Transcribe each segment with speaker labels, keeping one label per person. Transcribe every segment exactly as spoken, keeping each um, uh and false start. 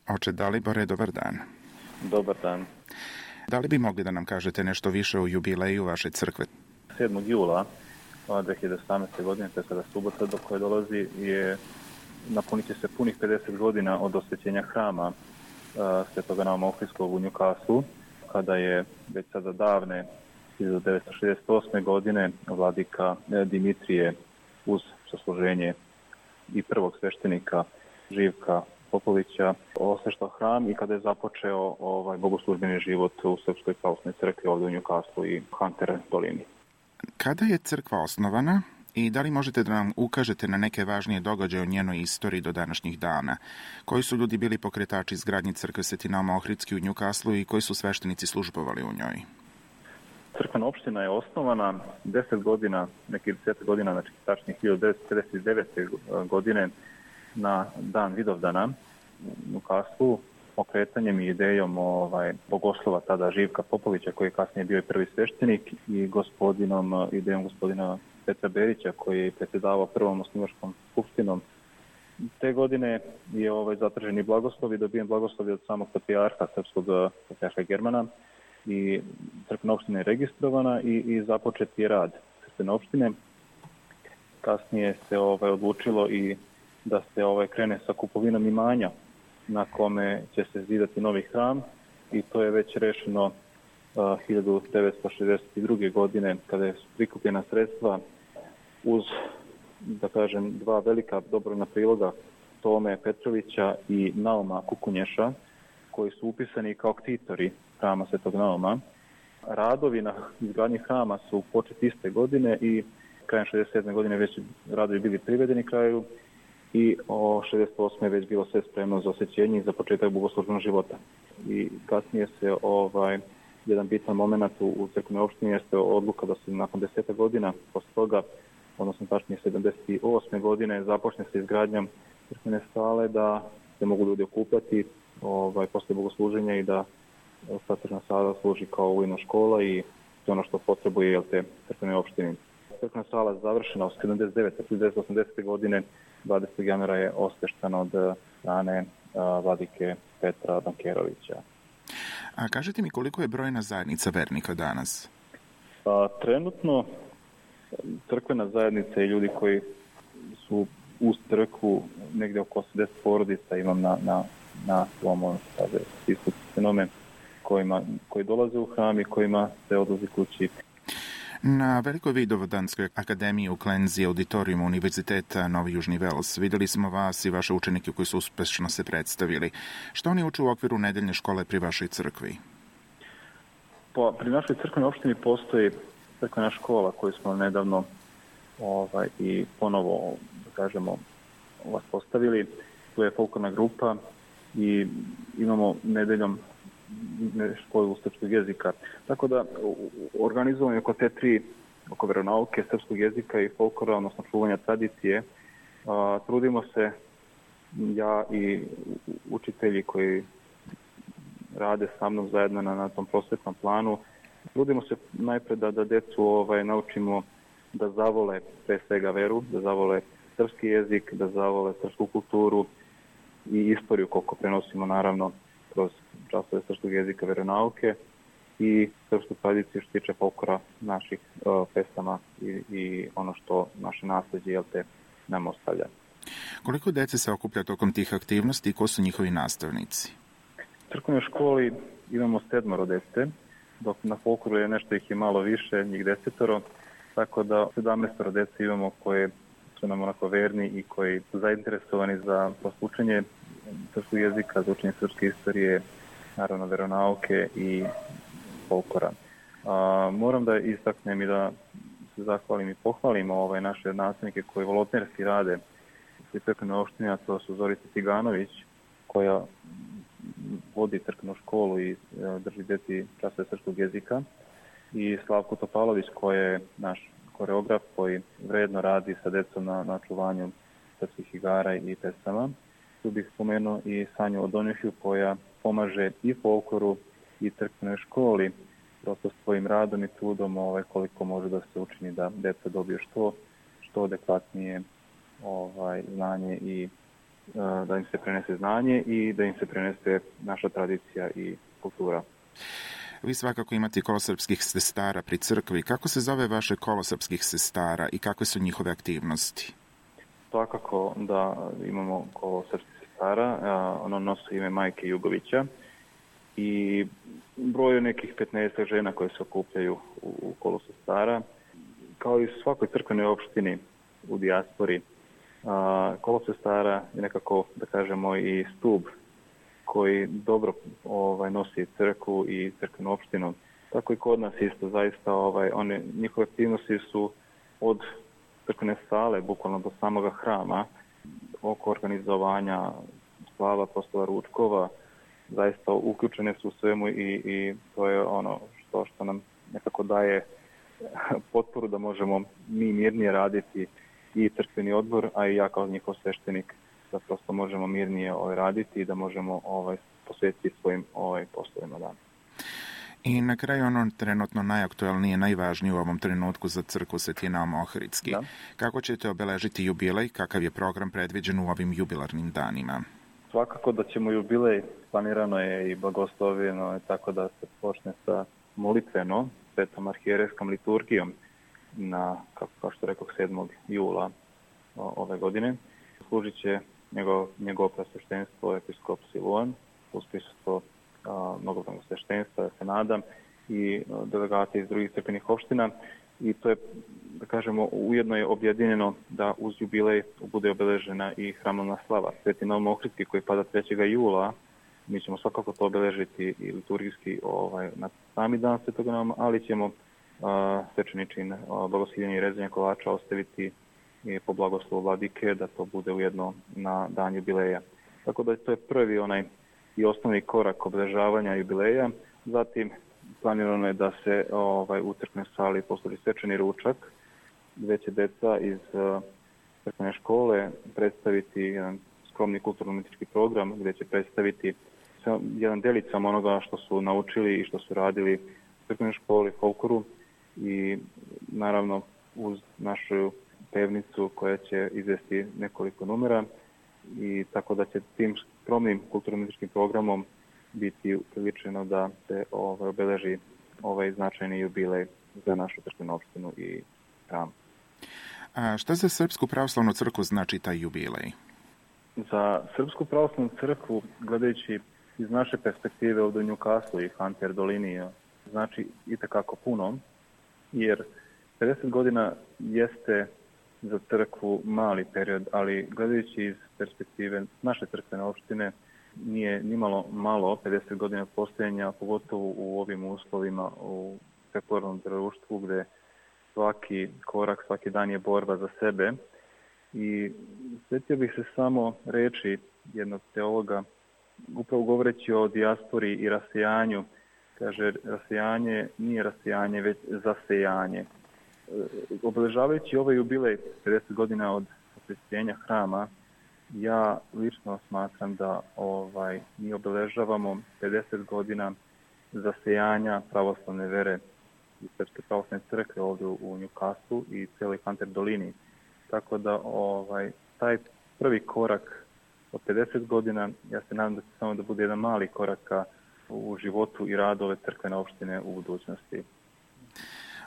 Speaker 1: Oče Dalibore, dobar dan.
Speaker 2: Dobar dan.
Speaker 1: Da li bi mogli da nam kažete nešto više o jubileju vaše crkve?
Speaker 2: sedmog jula dve hiljade osamnaeste. godine, to je sada subota do koje dolazi, je napunit će se punih pedeset godina od osvećenja hrama uh, Svetoga Nauma Ohridskog u Newcastle, kada je već sada davne hiljadu devetsto šezdeset osme. godine vladika Dimitrije uz sasluženje i prvog sveštenika Živka Popovića osveštao hram i kada je započeo ovaj bogoslužbeni život u Srpskoj pravoslavnoj crkvi ovdje u Newcastle i Hunter dolini.
Speaker 1: Kada je crkva osnovana i da li možete da nam ukažete na neke važnije događaje o njenoj istoriji do današnjih dana? Koji su ljudi bili pokretači izgradnje crkve Sveti Naum Ohridski u Newcastle i koji su sveštenici službovali u njoj?
Speaker 2: Crkvena opština je osnovana deset godina, nekih deset godina, znači tačnije hiljadu devetsto pedeset devete. godine na dan Vidovdana u Newcastle, pokretanjem i idejom ovaj, bogoslova tada Živka Popovića, koji je kasnije bio i prvi sveštenik, i gospodinom, idejom gospodina Petra Berića, koji je predsjedavao prvom osnivačkom skupštinom. Te godine je ovaj, zatražen i blagoslov i dobijen blagoslov od samog patrijarha, srpskog patrijarha Germana, i crkvena opština je registrovana i, i započet je rad crkvene opštine. Kasnije se ovaj, odlučilo i da se ovaj, krene sa kupovinom imanja na kome će se zidati novi hram, i to je već rešeno uh, hiljadu devetsto šezdeset druge. godine, kada je prikupljena sredstva uz, da kažem, dva velika dobrovoljna priloga Tome Petrovića i Nauma Kukunješa, koji su upisani kao ktitori hrama Svetog Nauma. Radovi na izgradnji hrama su početi iste godine i krajem šezdeset sedme. godine već radovi bili privedeni kraju i o šezdeset osme. već bilo sve spremno za osvećenje i za početak bogoslužbenog života. I kasnije se ovaj jedan bitan moment u, u crkvenoj opštini jeste odluka da se nakon deseta godina posle toga, odnosno tačnije sedamdeset osme. godine, započne se izgradnjom crkvene sale, da se mogu ljudi okupljati ovaj, posle bogosluženja i da sakrna sala služi kao vojna škola i to ono što potrebuje jel te crkvene opštine. Crkvena sala je završena od sedamdeset devete. hiljadu devetsto osamdesete. godine, dvadesetog januara je osveštena od strane a, vladike Petra Bankerovića.
Speaker 1: A kažete mi koliko je brojna zajednica vernika danas?
Speaker 2: A, trenutno crkvena zajednica i ljudi koji su uz crkvu, negdje oko osamdeset porodica imam na, na, na svom spisku fenomen kojima, koji dolaze u hram i kojima se odlazi kući.
Speaker 1: Na Velikoj Vidovdanskoj akademiji u Klenzi, auditorijumu Univerziteta Novi Južni Vels, videli smo vas i vaše učenike koji su uspešno se predstavili. Što oni uče u okviru nedeljne škole pri vašoj crkvi?
Speaker 2: Po, pri našoj crkvenoj opštini postoji crkvena škola koju smo nedavno ovaj, i ponovo, da kažemo, vas postavili. Tu je folklorna grupa i imamo nedeljom školu srpskog jezika. Tako da organizujemo oko te tri, oko veronauke, srpskog jezika i folklora, odnosno čuvanja tradicije. A, trudimo se, ja i učitelji koji rade sa mnom zajedno na, na tom prosvetnom planu, trudimo se najpre da, da decu ovaj, naučimo da zavole pre svega veru, da zavole srpski jezik, da zavole srpsku kulturu i istoriju, koliko prenosimo naravno kroz časove srpskog jezika, veronauke i srpsku tradiciju što tiče folklora naših uh, pesama i, i ono što naše nasleđe jel te nam ostavlja.
Speaker 1: Koliko dece se okuplja tokom tih aktivnosti i ko su njihovi nastavnici?
Speaker 2: U crkvenoj školi imamo sedmoro dece, dok na folkloru je nešto ih je malo više, njih desetoro, tako da sedamnaestoro dece imamo koje su nam onako verni i koji su zainteresovani za poslučenje srpskog jezika, za učenje srpske istorije, naravno veronauke i folklora. A, moram da istaknem i da se zahvalim i pohvalim ovaj, naše nastavnike koji volonterski rade u crkvenoj opštini, a to su Zorica Ciganović, koja vodi crkvenu školu i e, drži deci časove srpskog jezika, i Slavko Topalović, koji je naš koreograf koji vredno radi sa decom na, na čuvanju srpskih igara i pesama. Tu bih spomenuo i Sanju Odonjuhiju, koja pomaže i folkloru i crkvenoj školi, prosto svojim radom i trudom ovaj, koliko može da se učini da deca dobiju što, što adekvatnije ovaj, znanje i da im se prenese znanje i da im se prenese naša tradicija i kultura.
Speaker 1: Vi svakako imate kolo srpskih sestara pri crkvi. Kako se zove vaše kolo srpskih sestara i kakve su njihove aktivnosti?
Speaker 2: Svakako da imamo kolo srpskih sestara. Ono nosi ime Majke Jugovića i broju nekih petnaest žena koje se okupljaju u kolu sestara. Kao i u svakoj crkvenoj opštini u dijaspori, kolo sestara je nekako, da kažemo, i stub koji dobro ovaj, nosi crkvu i crkvenu opštinu. Tako i kod nas isto, zaista ovaj, one, njihove aktivnosti su od crkvene sale, bukvalno do samoga hrama, oko organizovanja slava, proslava ručkova, zaista uključene su u svemu i, i to je ono što, što nam nekako daje potporu da možemo mi mirnije raditi i crkveni odbor, a i ja kao njihov sveštenik da prosto možemo mirnije ovaj, raditi i da možemo ovaj, posvetiti svojim ovaj, poslovima. Da.
Speaker 1: I na kraju ono trenutno najaktualnije, najvažnije u ovom trenutku za crkvu Sveti Naum Ohridski. Da. Kako ćete obeležiti jubilej? Kakav je program predviđen u ovim jubilarnim danima?
Speaker 2: Svakako da ćemo jubilej, planirano je i blagoslovljeno, tako da se počne sa molitveno, svetom arhijerejskom liturgijom na, kako, kao što rekao, sedmog jula ove godine. Služit će njegov, njegov presveštenstvo episkop Siluan, uz prisustvo mnogobrojnog sveštenstva, ja se nadam, i delegati iz drugih crkvenih opština. I to je, da kažemo, ujedno je objedinjeno da uz jubilej bude obeležena i hramovna slava. Sveti Naum Ohridski koji pada trećeg jula, mi ćemo svakako to obeležiti i liturgijski ovaj, na sami dan Svetog Nauma, ali ćemo a, svečani čin blagoslivljenja i rezanja kolača ostaviti i po blagoslovu vladike, da to bude ujedno na dan jubileja. Tako da to je prvi onaj i osnovni korak obeležavanja jubileja. Zatim planirano je da se ovaj, u crkvenoj sali posluži svečani ručak, gde će deca iz uh, crkvene škole predstaviti jedan skromni kulturno-umetički program, gde će predstaviti jedan delicam onoga što su naučili i što su radili u crkvenoj školi, folkloru, i naravno uz našu pevnicu koja će izvesti nekoliko numera, i tako da će tim skromnim kulturno-umetičkim programom biti priličeno da se ovaj, obeleži ovaj značajni jubilej za našu crkvenu opštinu i hram.
Speaker 1: A šta za Srpsku pravoslavnu crkvu znači taj jubilej?
Speaker 2: Za Srpsku pravoslavnu crkvu, gledajući iz naše perspektive ovdje u Newcastle i Hunter dolini, znači itekako puno, jer pedeset godina jeste za crkvu mali period, ali gledajući iz perspektive naše crkvene opštine, nije nimalo malo pedeset godina postojanja, pogotovo u ovim uslovima u sekularnom društvu gde svaki korak, svaki dan je borba za sebe. I sjetio bih se samo reči jednog teologa, upravo govoreći o dijaspori i rasejanju. Kaže, rasejanje nije rasejanje, već zasejanje. Obeležavajući ovaj jubilej pedeset godina od osvešćenja hrama, ja lično smatram da ovaj, mi obeležavamo pedeset godina zasejanja pravoslavne vere i Srpske pravoslavne crkve ovdje u Newcastle i cijeloj Hunter dolini. Tako da ovaj, taj prvi korak od pedeset godina, ja se nadam da će samo da bude jedan mali korak u životu i radu ove crkvene opštine u budućnosti.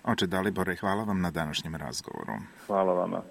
Speaker 1: Oče Dalibore, hvala vam na današnjem razgovoru.
Speaker 2: Hvala vama.